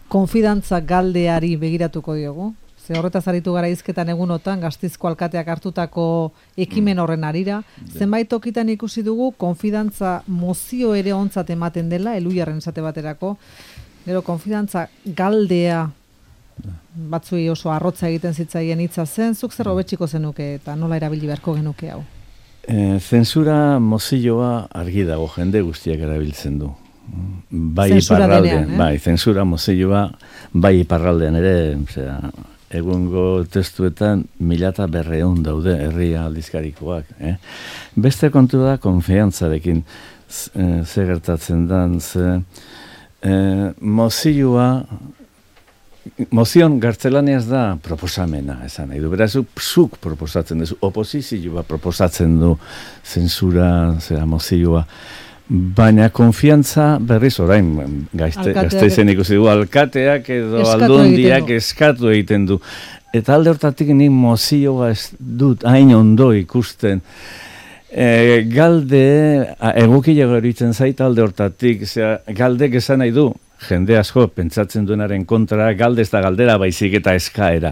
konfidantza galdeari begiratuko diogu? Ze horretaz aritu gara hizketan egunotan, Gasteizko alkateak hartutako ekimen horren arira. Zenbait tokitan ikusi dugu, konfidantza mozio ere ontzat ematen dela, Eluiarren esate baterako. Gero, konfidantza galdea, batzuei oso arrotza egiten zitzaien hitza zen, zuk zer hobetsiko zenuke eta nola erabili beharko genuke hau? Zensura mozioa argi dago, jende guztiak erabiltzen du. Bai Zensura iparraldean, denean, bai, zensura mozioa, bai iparraldean ere, egungo testuetan 1200 daude herria aldizkarikoak. Beste kontu da konfiantzarekin ze gertatzen dan, mozion gartzelaniaz da proposamena, esan nahi du. Beraz, zuk proposatzen duzu, oposizioa proposatzen du zensura, mozioa. Baina konfiantza berriz orain Gasteizen ikusi du alkateak edo aldundiak eskatu egiten du. Eta alde hortatik nik mozioa ez dut hain ondo ikusten. Galde egokile geritzen zait alde hortatik, galdek esan nahi du. Jende asko pentsatzen duenaren kontra, galde ez da galdera baizik eta eskaera.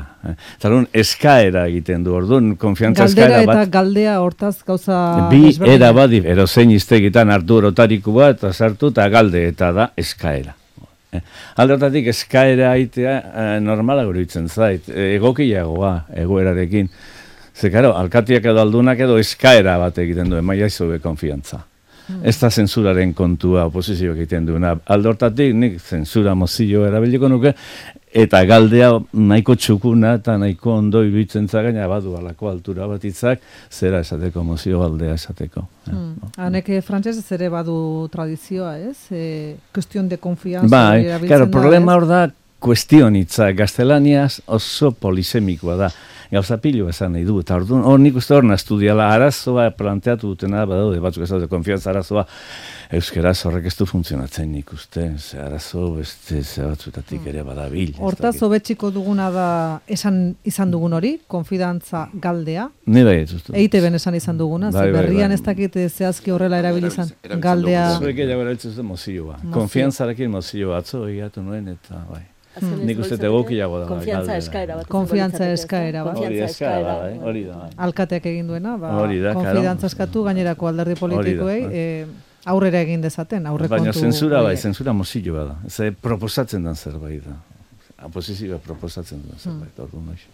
Zalun, eskaera egiten du, orduan, konfiantza eskaera bat. Galdera eta galdea hortaz gauza... Bi era bat, erozein iztegitan hartu erotariku bat, eta sartu, eta galde eta da eskaera. Alde hortatik eskaera aitea normala guruitzen zait, egokiagoa egoerarekin. Ze, karo, alkatiak edo aldunak edo eskaera bat egiten duen, maia izube konfiantza. Ez da zensuraren kontua oposizioak egiten duena. Aldortatik nik zensura mozio erabiliko nuke, eta galdea nahiko txukuna eta nahiko ondo iruditzen zagaina badu alako altura bat itzak, zera esateko, mozio galdea esateko. Hanek frantsesez ere badu tradizioa, ez? Kuestion de konfianza. Bai, claro, problema hor da kuestion hitzak, gaztelaniaz oso polisemikoa da. Gauza pilo esan nahi du, eta hor nik uste hor nastudiala arazoa planteatu dutena, badaude batzuk ez daude konfiantza arazoa, euskeraz horrek ez du funtzionatzen nik uste, arazo beste batzutatik ere badabil. Hortaz, hobetziko duguna da esan izan dugun hori, konfidantza galdea? Ni bai ez uste. EITB-en esan izan duguna, berrian ez dakit zehazki horrela erabilizan galdea. Zuek gehiago erabiltzen zuten mozioa. Konfiantzarekin mozioa atzo egatu nuen eta bai. Nik uste egokiago da. Konfiantza eskaera bat. Hori da. Alkateak egin duena, konfidantza eskatu gainerako alderdi politikoei aurrera egin dezaten, aurrekontu. Baina zensura bai, zensura mozioa da. Proposatzen den zerbait da. Oposizioa proposatzen den zerbait, orduan noiz.